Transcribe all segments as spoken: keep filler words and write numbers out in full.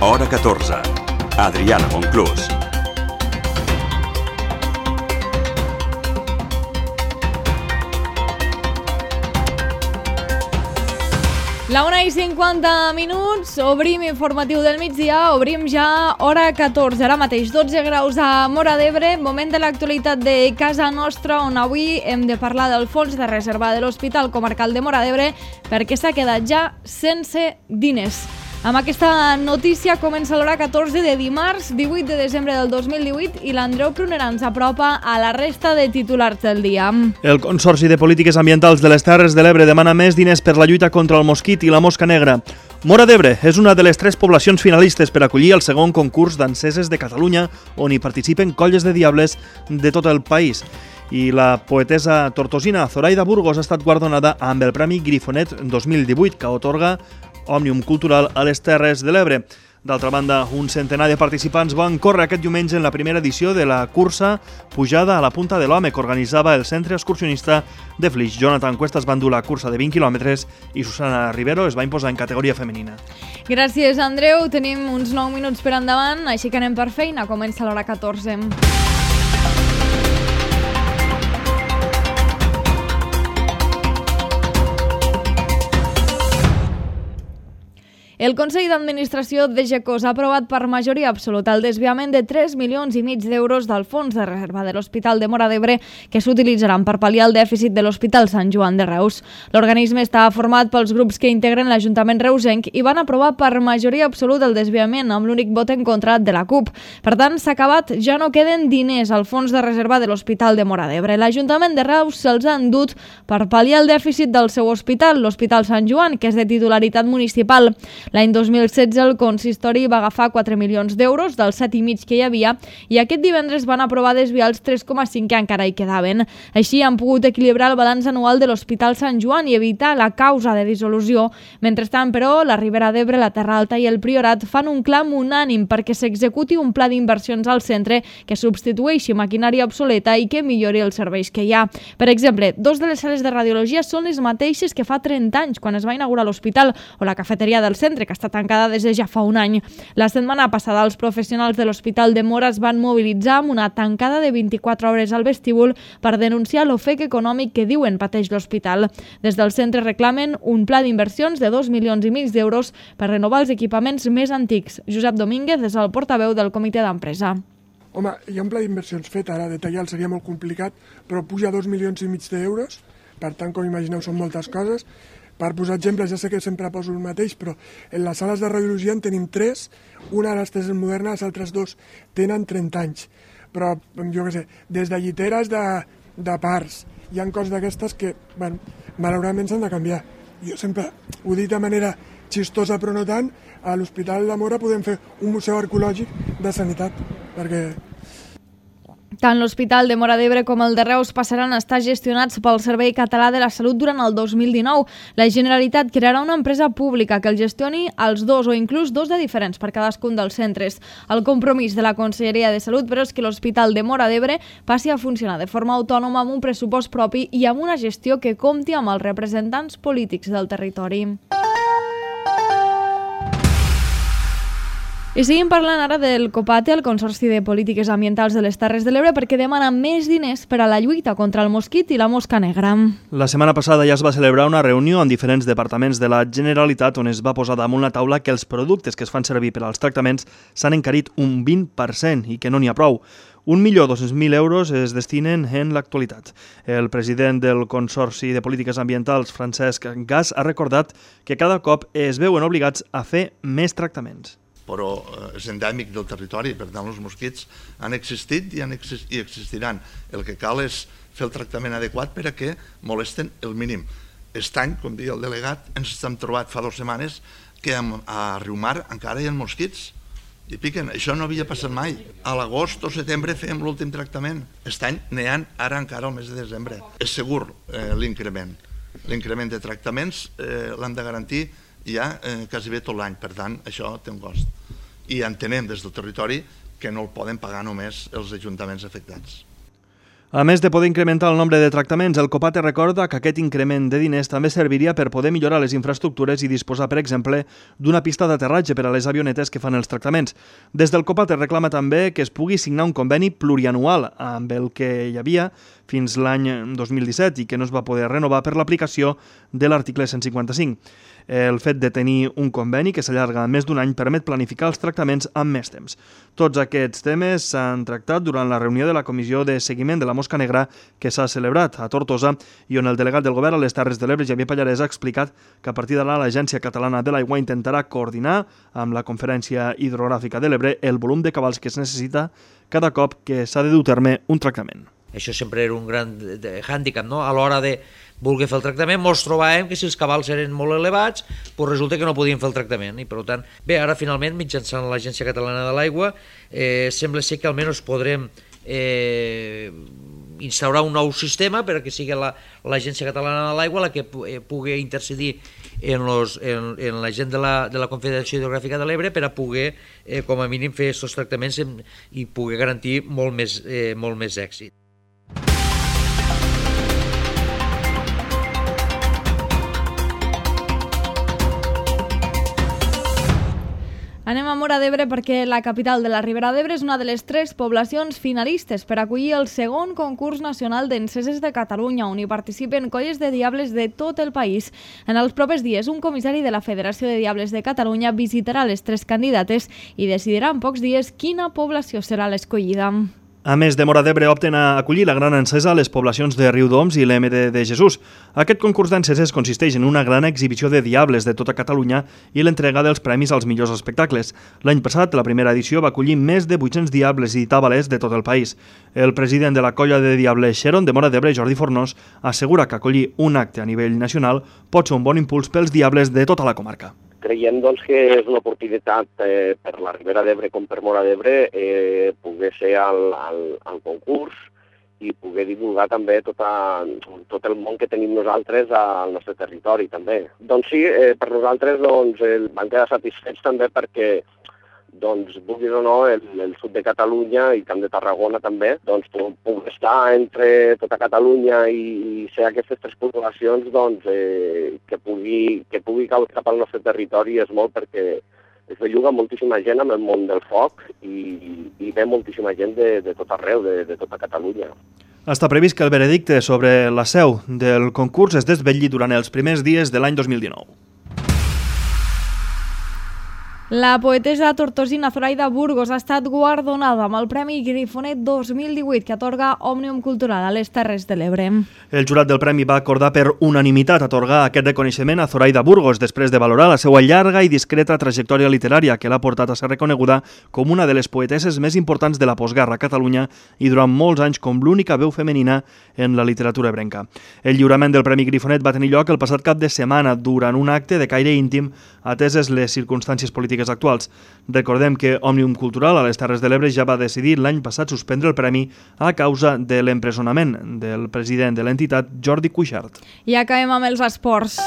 Hora catorze. Adriana Monclús. La una i cinquanta minuts, obrim informatiu del migdia, obrim ja hora catorze, ara mateix dotze graus a Móra d'Ebre, moment de l'actualitat de casa nostra, on avui hem de parlar del fons de reserva de l'Hospital Comarcal de Móra d'Ebre perquè s'ha quedat ja sense diners. Amb aquesta notícia comença l'hora catorze de dimarts, divuit de desembre del dos mil divuit, i l'Andreu Prunera ens apropa a la resta de titulars del dia. El Consorci de Polítiques Ambientals de les Terres de l'Ebre demana més diners per la lluita contra el mosquit i la mosca negra. Móra d'Ebre és una de les tres poblacions finalistes per acollir el segon concurs danseses de Catalunya, on hi participen colles de diables de tot el país. I la poetessa tortosina Zoraida Burgos ha estat guardonada amb el Premi Grifonet dos mil divuit, que atorga Òmnium Cultural a les Terres de l'Ebre. D'altra banda, un centenar de participants van córrer aquest diumenge en la primera edició de la cursa Pujada a la Punta de l'Home, que organitzava el Centre Excursionista de Flix. Jonathan Cuesta es va endur la cursa de vint quilòmetres i Susana Rivero es va imposar en categoria femenina. Gràcies, Andreu. Tenim uns nou minuts per endavant, així que anem per feina. Comença l'hora catorze. El Consell d'Administració de Gecós ha aprovat per majoria absoluta el desviament de tres milions i mig d'euros del fons de reserva de l'Hospital de Móra d'Ebre que s'utilitzaran per pal·liar el dèficit de l'Hospital Sant Joan de Reus. L'organisme està format pels grups que integren l'Ajuntament reusenc i van aprovar per majoria absoluta el desviament amb l'únic vot en contra de la CUP. Per tant, s'ha acabat, ja no queden diners al fons de reserva de l'Hospital de Móra d'Ebre. L'Ajuntament de Reus se'ls ha endut per pal·liar el dèficit del seu hospital, l'Hospital Sant Joan, que és de titularitat municipal. L'any dos mil setze el consistori va agafar quatre milions d'euros dels set i mig que hi havia i aquest divendres van aprovar desviar els tres coma cinc que encara hi quedaven. Així han pogut equilibrar el balanç anual de l'Hospital Sant Joan i evitar la causa de dissolució. Mentrestant, però, la Ribera d'Ebre, la Terra Alta i el Priorat fan un clam unànim perquè s'executi un pla d'inversions al centre que substitueixi maquinària obsoleta i que millori els serveis que hi ha. Per exemple, dos de les sales de radiologia són les mateixes que fa trenta anys, quan es va inaugurar l'hospital, o la cafeteria del centre, que està tancada des de ja fa un any. La setmana passada, els professionals de l'Hospital de Móra es van mobilitzar amb una tancada de vint-i-quatre hores al vestíbul per denunciar l'ofec econòmic que diuen pateix l'hospital. Des del centre reclamen un pla d'inversions de dos milions i mig d'euros per renovar els equipaments més antics. Josep Domínguez és el portaveu del comitè d'empresa. Home, hi ha un pla d'inversions fet, ara detallar seria molt complicat, però puja dos milions i mig d'euros, per tant, com imagineu, són moltes coses. Per posar exemples, ja sé que sempre poso el mateix, però en les sales de radiologia en tenim tres, una de les tres és moderna, les altres dos tenen trenta anys. Però, jo què sé, des de lliteres de, de parts, hi ha coses d'aquestes que, bueno, malauradament s'han de canviar. Jo sempre ho dic de manera xistosa, però no tant, a l'Hospital de Móra podem fer un museu arqueològic de sanitat, perquè... Tant l'Hospital de Móra d'Ebre com el de Reus passaran a estar gestionats pel Servei Català de la Salut durant el dos mil dinou. La Generalitat crearà una empresa pública que el gestioni als dos o inclús dos de diferents per cadascun dels centres. El compromís de la Conselleria de Salut, però, és que l'Hospital de Móra d'Ebre passi a funcionar de forma autònoma amb un pressupost propi i amb una gestió que compti amb els representants polítics del territori. I seguim parlant ara del COPATE, el Consorci de Polítiques Ambientals de les Terres de l'Ebre, perquè demana més diners per a la lluita contra el mosquit i la mosca negra. La setmana passada ja es va celebrar una reunió amb diferents departaments de la Generalitat on es va posar damunt la taula que els productes que es fan servir per als tractaments s'han encarit un vint per cent i que no n'hi ha prou. Un milió dos-cents mil euros es destinen en l'actualitat. El president del Consorci de Polítiques Ambientals, Francesc Gas, ha recordat que cada cop es veuen obligats a fer més tractaments. Però és endèmic del territori, per tant els mosquits han existit i, han exist i existiran. El que cal és fer el tractament adequat per a que molesten el mínim. Aquest any, com deia el delegat, ens hem trobat fa dues setmanes que a Riumar encara hi ha mosquits i piquen. Això no havia passat mai. A l'agost o setembre fèiem l'últim tractament. Aquest any n'hi ha ara encara al mes de desembre. És segur eh, l'increment. L'increment de tractaments eh, l'hem de garantir ja eh, quasi bé tot l'any, per tant, això té un cost. I entenem des del territori que no el poden pagar només els ajuntaments afectats. A més de poder incrementar el nombre de tractaments, el COPATE recorda que aquest increment de diners també serviria per poder millorar les infraestructures i disposar, per exemple, d'una pista d'aterratge per a les avionetes que fan els tractaments. Des del COPATE reclama també que es pugui signar un conveni plurianual amb el que hi havia fins l'any dos mil disset i que no es va poder renovar per l'aplicació de l'article cent cinquanta-cinc. El fet de tenir un conveni que s'allarga més d'un any permet planificar els tractaments amb més temps. Tots aquests temes s'han tractat durant la reunió de la Comissió de Seguiment de la Mosca Negra que s'ha celebrat a Tortosa i on el delegat del govern a les Terres de l'Ebre, Xavier Pallarès, ha explicat que a partir d'ara l'Agència Catalana de l'Aigua intentarà coordinar amb la Conferència Hidrogràfica de l'Ebre el volum de cabals que es necessita cada cop que s'ha de dur a terme un tractament. Això sempre era un gran hàndicap, no? A l'hora de voler fer el tractament, ens trobàvem que si els cabals eren molt elevats, doncs resulta que no podíem fer el tractament. I per tant, bé, ara finalment, mitjançant l'Agència Catalana de l'Aigua, eh, sembla ser que almenys podrem eh, instaurar un nou sistema perquè sigui l'Agència Catalana de l'Aigua la que pugui intercedir en, los, en, en la gent de la, de la Confederació Hidrogràfica de l'Ebre per a poder, eh, com a mínim, fer aquests tractaments i poder garantir molt més, eh, molt més èxit. Anem a Móra d'Ebre perquè la capital de la Ribera d'Ebre és una de les tres poblacions finalistes per acollir el segon concurs nacional d'enceses de Catalunya, on hi participen colles de diables de tot el país. En els propers dies, un comissari de la Federació de Diables de Catalunya visitarà les tres candidates i decidirà en pocs dies quina població serà l'escollida. A més de Móra d'Ebre, opten a acollir la gran encesa a les poblacions de Riudoms i l'M D de Jesús. Aquest concurs d'enceses consisteix en una gran exhibició de diables de tota Catalunya i l'entrega dels premis als millors espectacles. L'any passat, la primera edició va acollir més de vuit-cents diables i tàbales de tot el país. El president de la colla de diables Xeron de Móra d'Ebre, Jordi Fornós, assegura que acollir un acte a nivell nacional pot ser un bon impuls pels diables de tota la comarca. Creiem doncs, que és una oportunitat eh, per la Ribera d'Ebre com per Móra d'Ebre eh, poder ser al, al, al concurs i poder divulgar també tota, tot el món que tenim nosaltres al nostre territori també. Doncs sí, eh, per nosaltres doncs, el, vam quedar satisfets també perquè doncs, vulguis o no, el, el sud de Catalunya i Camp de Tarragona també, doncs, pugui estar entre tota Catalunya i, i ser aquestes tres poblacions doncs, eh, que pugui, que pugui caure cap al nostre territori és molt perquè es belluga moltíssima gent amb el món del foc i, i ve moltíssima gent de, de tot arreu, de, de tota Catalunya. Està previst que el veredicte sobre la seu del concurs es desvetlli durant els primers dies de l'any dos mil dinou. La poetessa tortosina Zoraida Burgos ha estat guardonada amb el Premi Grifonet dos mil divuit que atorga Òmnium Cultural a les Terres de l'Ebre. El jurat del premi va acordar per unanimitat atorgar aquest reconeixement a Zoraida Burgos després de valorar la seva llarga i discreta trajectòria literària que l'ha portat a ser reconeguda com una de les poetesses més importants de la postguerra a Catalunya i durant molts anys com l'única veu femenina en la literatura ebrenca. El lliurament del Premi Grifonet va tenir lloc el passat cap de setmana durant un acte de caire íntim ateses les circumstàncies polítiques actuals. Recordem que Òmnium Cultural a les Terres de l'Ebre ja va decidir l'any passat suspendre el premi a causa de l'empresonament del president de l'entitat, Jordi Cuixart. I acabem amb els esports.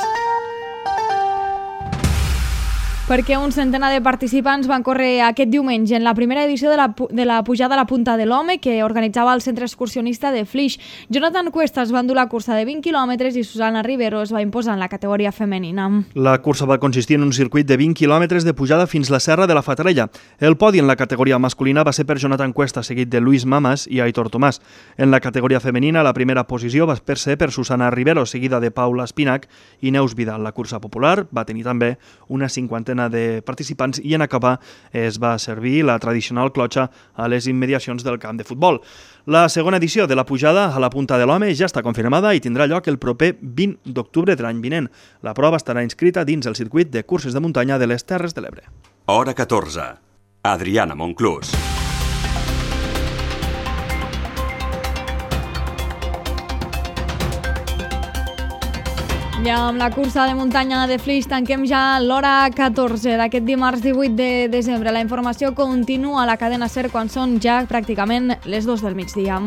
Perquè un centenar de participants van córrer aquest diumenge en la primera edició de la, de la pujada a la Punta de l'Home que organitzava el centre excursionista de Flix. Jonathan Cuesta es va endur la cursa de vint quilòmetres i Susana Rivero es va imposar en la categoria femenina. La cursa va consistir en un circuit de vint quilòmetres de pujada fins la Serra de la Fatarella. El podi en la categoria masculina va ser per Jonathan Cuesta, seguit de Luis Mamas i Aitor Tomàs. En la categoria femenina, la primera posició va ser per Susana Rivero, seguida de Paula Espinac i Neus Vidal. La cursa popular va tenir també una cinquantena de participants i en acabar es va servir la tradicional clotxa a les immediacions del camp de futbol. La segona edició de la pujada a la Punta de l'Home ja està confirmada i tindrà lloc el proper vint d'octubre de l'any vinent. La prova estarà inscrita dins el circuit de curses de muntanya de les Terres de l'Ebre. Hora catorze. Adriana Monclús. Ja amb la cursa de muntanya de Flix tanquem ja l'hora catorze d'aquest dimarts divuit de desembre. La informació continua a la cadena SER quan són ja pràcticament les dues del migdia.